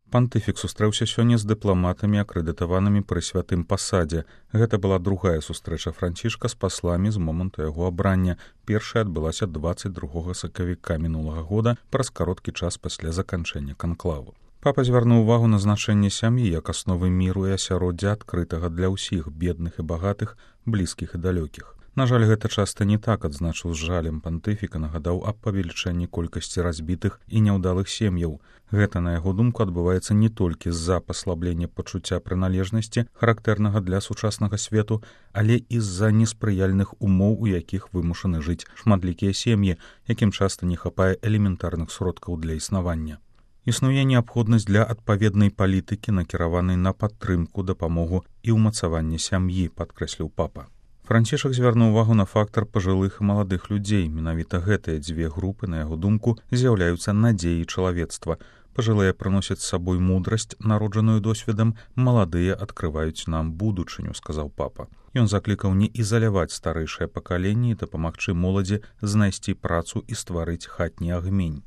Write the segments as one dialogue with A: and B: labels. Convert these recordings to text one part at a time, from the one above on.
A: Пантыфік сустрэўся сёння з дыпламатамі, акрэдытаванымі пры святым пасадзе. Гэта была другая сустрэча Францішка з пасламі з моманту яго абрання. Першая адбылася 22 сакавіка мінулага года, праз кароткі час пасля заканчэння канклаву. Папа звярнуў увагу на значэнне сям'і як асновы міру і асяроддзя адкрытага для ўсіх бедных і багатых, блізкіх і далёкіх. На жаль, гэта часта не так, адзначыў з жалем пантыфіка, нагадаў аб павелічэнні колькасці разбітых і няўдалых сем'яў. Гэта, на яго думку, адбываецца не толькі з-за паслаблення пачуцця прыналежнасці, характэрнага для сучаснага свету, але і з-за неспрыяльных умоў, у якіх вымушаны жыць шматлікія сем'і, якім часта не хапае элементарных сродкаў для існавання. Існуе неабходнасць для адпаведнай палітыкі, накіраванай на падтрымку, дапамогу і ўмацаванне сям'і, падкрэсліў папа. Францішак звярнуў увагу на фактар пажылых і маладых людзей. Менавіта гэтыя дзве групы, на яго думку, з'яўляюцца надзеяй чалавецтва. Пажылыя прыносяць з сабой мудрасць, народжаную досведам, маладыя адкрываюць нам будучыню, сказаў папа. Ён заклікаў не ізаляваць старэйшае пакаленне і дапамагчы моладзі знайсці працу і стварыць хатні агмень.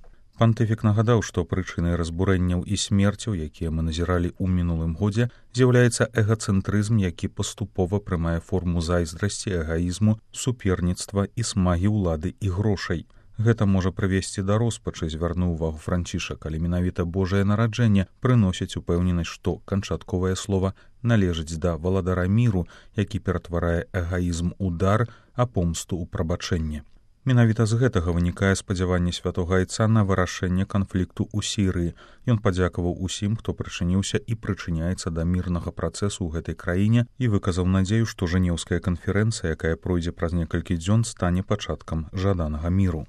A: Пантыфік нагадаў, што прычынай разбурэнняў і смерцяў, якія мы назіралі ў мінулым годзе, з'яўляецца эгацэнтрызм, які паступова прымае форму зайздрасці, эгаізму, суперніцтва і смагі ўлады і грошай. Гэта можа прывесці да роспачы, звярнуў увагу Францішак, але менавіта Божае нараджэнне прыносіць упэўненасць, што канчатковае слова належыць да валадара міру, які ператварае эгаізм у дар, а помсту ў прабачэнне. Менавіта з гэтага вынікае спадзяванне святога айца на вырашэнне канфлікту ў Сірыі. Ён падзякаваў усім, хто прычыніўся і прычыняецца да мірнага працэсу ў гэтай краіне і выказаў надзею, што жэнеўская канферэнцыя, якая пройдзе праз некалькі дзён, стане пачаткам жаданага міру.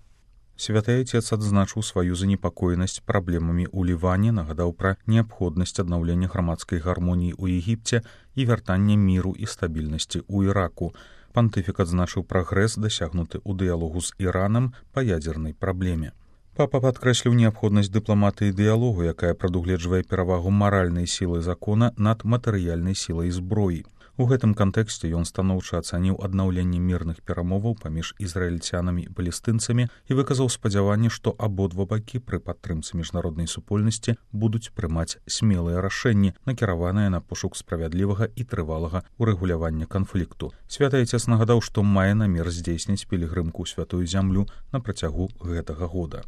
A: Святы айцец адзначыў сваю занепакоенасць праблемамі ў Ліване, нагадаў пра неабходнасць аднаўлення грамадскай гармоніі ў Егіпце і вяртання міру і стабільнасці ў Іраку. Пантыфік адзначыў прагрэс, дасягнуты ў дыялогу з Іранам па ядзернай праблеме. Папа падкрэсліў неабходнасць дыпламатыі дыялогу, якая прадугледжвае перавагу маральнай сілы закона над матэрыяльнай сілай зброі. У гэтым кантэксце ён станоўча ацаніў аднаўленне мірных перамоваў паміж ізраільцянамі і палестынцамі і выказаў спадзяванне, што абодва бакі пры падтрымцы міжнароднай супольнасці будуць прымаць смелыя рашэнні, накіраваныя на пошук справядлівага і трывалага урэгулявання канфлікту. Святы айцец нагадаў, што мае намер здзейсніць пілігрымку ў святую зямлю на працягу гэтага года.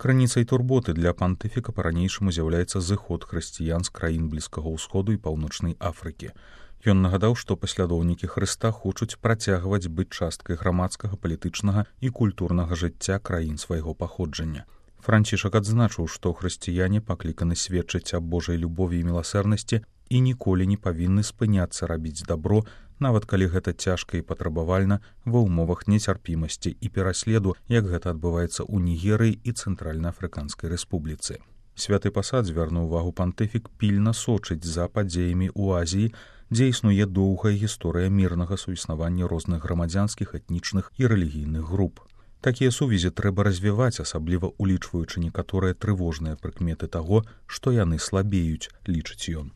A: Крыніцай турботы для пантыфіка па-ранейшаму з'яўляецца зыход хрысціян з краін Блізкага ўсходу і Паўночнай Афрыкі. Ён нагадаў, што паслядоўнікі Хрыста хочуць працягваць быць часткай грамадскага, палітычнага і культурнага жыцця краін свайго паходжання. Францішак адзначыў, што хрысціяне пакліканы сведчыць аб Божай любові і міласэрнасці і ніколі не павінны спыняцца рабіць дабро, нават калі гэта цяжка і патрабавальна ва ўмовах нецярпімасці і пераследу, як гэта адбываецца ў Нігерыі і Цэнтральна-Афрыканскай рэспубліцы. Святы пасад звярнуў увагу пантыфік пільна сочыць за падзеямі ў Азіі, дзе існуе доўгая гісторыя мірнага суіснавання розных грамадзянскіх, этнічных і рэлігійных груп. Такія сувязі трэба развіваць, асабліва улічваючы некаторыя трывожныя прыкметы таго, што яны слабеюць, лічыць ён.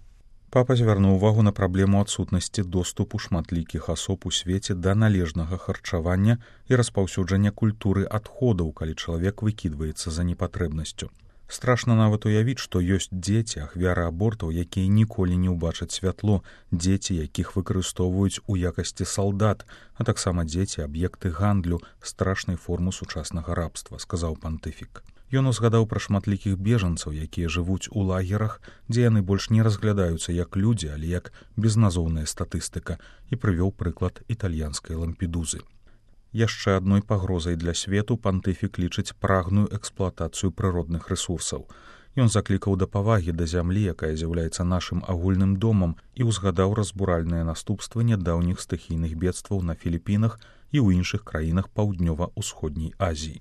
A: Папа звярнуў увагу на праблему адсутнасці доступу шматлікіх асоб у свеце да належнага харчавання і распаўсюджання культуры адходаў, калі чалавек выкідваецца за непатрэбнасцю. Страшна нават уявіць, што ёсць дзеці, ахвяры абортаў, якія ніколі не ўбачаць святло, дзеці, якіх выкарыстоўваюць у якасці салдат, а таксама дзеці, аб'екты гандлю, страшнай формы сучаснага рабства, сказаў пантыфік. Ён узгадаў пра шматлікіх бежанцаў, якія жывуць у лагерах, дзе яны больш не разглядаюцца як людзі, але як безназоўная статыстыка, і прывёў прыклад італьянскай Лампедузы. Яшчэ адной пагрозай для свету пантыфік лічыць прагную эксплуатацыю прыродных рэсурсаў. Ён заклікаў да павагі да зямлі, якая з'яўляецца нашым агульным домам, і ўзгадаў разбуральныя наступствы нядаўніх стыхійных бедстваў на Філіпінах і ў іншых краінах паўднёва-ўсходняй Азіі.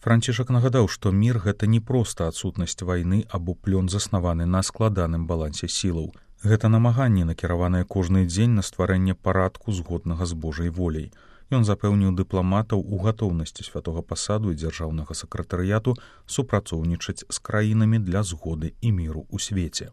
A: Францішак нагадаў, што мір — гэта не проста адсутнасць вайны або плён, заснаваны на складаным балансе сілаў. Гэта намаганне, накіраванае кожны дзень на стварэнне парадку, згоднага з Божай воляй. Ён запэўніў дыпламатаў у гатоўнасці святога пасаду і дзяржаўнага сакратарыяту супрацоўнічаць з краінамі для згоды і міру ў свеце.